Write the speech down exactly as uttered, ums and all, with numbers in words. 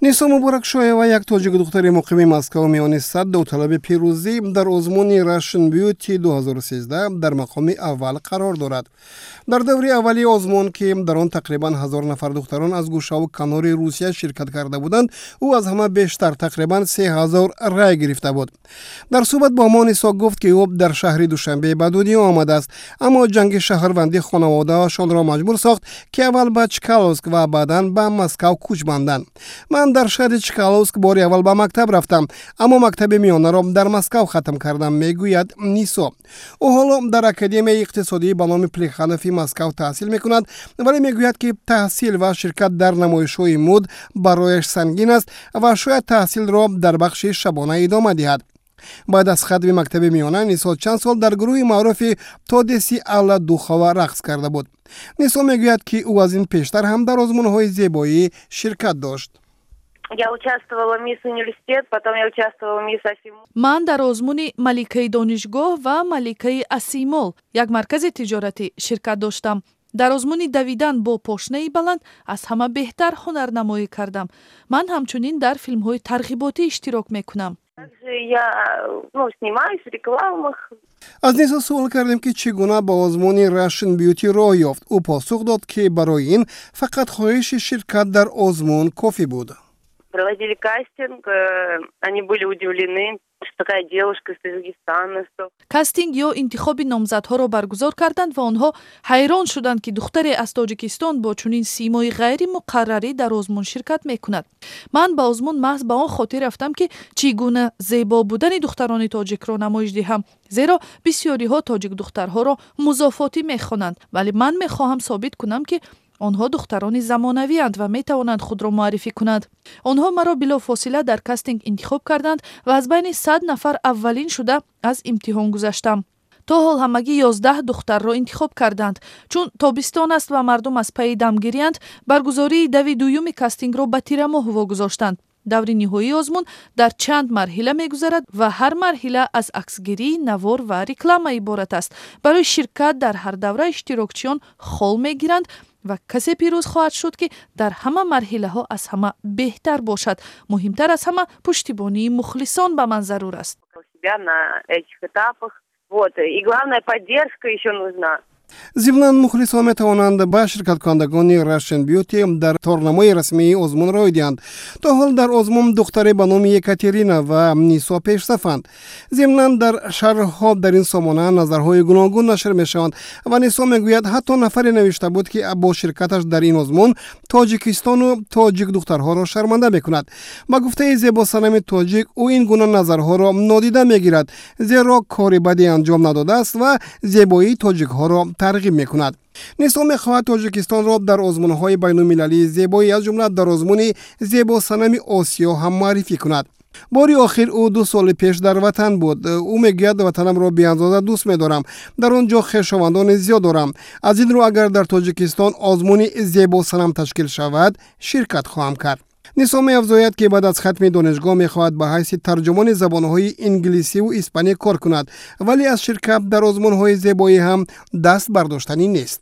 Нисо Муборакшоева, як тоҷик духтари муқими Москав, миёни сад довталаби пирӯзӣ дар озмуни Russian Beauty ду ҳазору сездаҳ дар мақоми аввал қарор дорад. Дар даври аввали озмун, ки дар он тақрибан ҳазор нафар духтарон аз гӯшаву канори Русия ширкат карда буданд, ӯ аз ҳама бештар, тақрибан се ҳазор рай гирифта буд. Дар суҳбат бо мо Нисо гуфт, ки ӯ дар шаҳри Душанбе ба дунё омадааст, аммо ҷанги шаҳрвандӣ хонаводаашонро маҷбур сохт, ки аввал ба Чкаловск ва баъдан ба Москав кӯч банданд. «Ман дар шаҳри Чкаловск бори аввал ба мактаб рафтам, аммо мактаби миёнаро дар Москав хатм кардам», мегӯяд Нисо. Ӯ ҳоло дар Академияи иқтисодӣ ба номи Плеханови Москав таҳсил мекунад, вале мегӯяд, ки таҳсил ва ширкат дар намоишҳои мӯд барояш сангин аст ва шояд таҳсилро дар бахши шабона идома диҳад. Баъд аз хатми мактаби миёна Нисо чанд сол дар гурӯҳи маъруфи Тодеси Алла Духова рақс карда буд. Нисо мегӯяд, ки ӯ аз ин пештар ҳам дар озмунҳои зебоӣ ширкат дошт. Я участвовала в «Мисс Университет», потом я участвовала в «Мисс Асимол». Ман дар озмуни «Маликаи донишгоҳ» ва «Маликаи Асимол», як маркази тиҷоратӣ, ширкат доштам. Дар озмуни давидан бо пошнаи баланд аз ҳама беҳтар ҳунарнамоӣ кардам. Ман ҳамчунин дар филмҳои тарғиботӣ иштирок мекунам. Также я, ну, снимаюсь в рекламах. Аз Нисо суол кардем, ки чӣ гуна ба озмуни Russian Beauty роҳ ёфт. Ӯ посух дод, ки барои ин фақат хоҳиши ширкат дар озмун кофӣ буд. Проводили кастинг, э, они были удивлены, что такая девушка из Таджикистана, что Кастинг ё интихоби номзадҳоро баргузор карданд ва онҳо ҳайрон шуданд, ки духтаре аз Тоҷикистон бо чунин симои ғайримуқаррарӣ дар озмун ширкат мекунад. Ман ба озмун маҳз ба он хотир рафтам, ки чӣ гуна зебо будани духтарони тоҷикро намоиш диҳам, зеро бисёриҳо тоҷикдухтарҳоро музофотӣ мехонанд, вале ман мехоҳам собит кунам, ки онҳо духтарони замонавианд ва метавонанд худро муаррифӣ кунанд. Онҳо маро билофосила дар кастинг интихоб карданд ва аз байни сад нафар аввалин шуда аз имтиҳон гузаштам. То ҳол ҳамагӣ ёздаҳ духтарро интихоб карданд. Чун тобистон аст ва мардум аз пайи дамгириянд, баргузории дави дуюми кастингро ба тирамоҳ вогузоштанд. Даври ниҳоии озмун дар чанд марҳила мегузарад ва ҳар марҳила аз аксгирӣ, навор ва реклама иборат аст. Барои ширкат дар ҳар давра иштирокчиён хол мегиранд ва касе пирӯз хоҳад шуд, ки дар ҳама марҳилаҳо аз ҳама беҳтар бошад. Муҳимтар аз ҳама, пуштибонии мухлисон ба ман зарур аст. Себя на этих этапах. Вот. И главное, поддержка еще нужна. Зимнан, мухлисон метавонанд ба ширкаткунандагони Russian Beauty дар торнамои расмии озмун рой диҳанд. То ҳол дар озмун духтаре ба номи Екатерина ва Нисо пешсафанд. Зимнан, дар шарҳҳо дар ин сомона назарҳои гуногун нашр мешаванд ва Нисо мегӯяд, ҳатто нафаре навишта буд, ки бо ширкаташ дар ин озмун Тоҷикистону тоҷик духтарҳоро шарманда мекунад. Ба гуфтаи зебосанами тоҷик, ӯ ин гуна назарҳоро нодида мегирад, зеро кори баде анҷом надодааст ва зебоии тоҷикҳоро тарғиб мекунад. Нисо мехоҳад Тоҷикистонро дар озмунҳои байнулмилалии зебоӣ, аз ҷумла дар озмуни «Зебосанами Осиё» ҳам муаррифӣ кунад. Бори охир ӯ ду соли пеш дар ватан буд. Ӯ мегӯяд: «Ватанамро беандоза дӯст медорам, дар он ҷо хешовандони зиёд дорам. Аз ин рӯ, агар дар Тоҷикистон озмуни зебосанам ташкил шавад, ширкат хоҳам кард». Нисо меафзояд, ки баъд аз хатми донишгоҳ мехоҳад ба ҳайси тарҷумони забонҳои инглисиву испанӣ кор кунад, вале аз ширкат дар озмунҳои зебоӣ ҳам даст бардоштанӣ нест.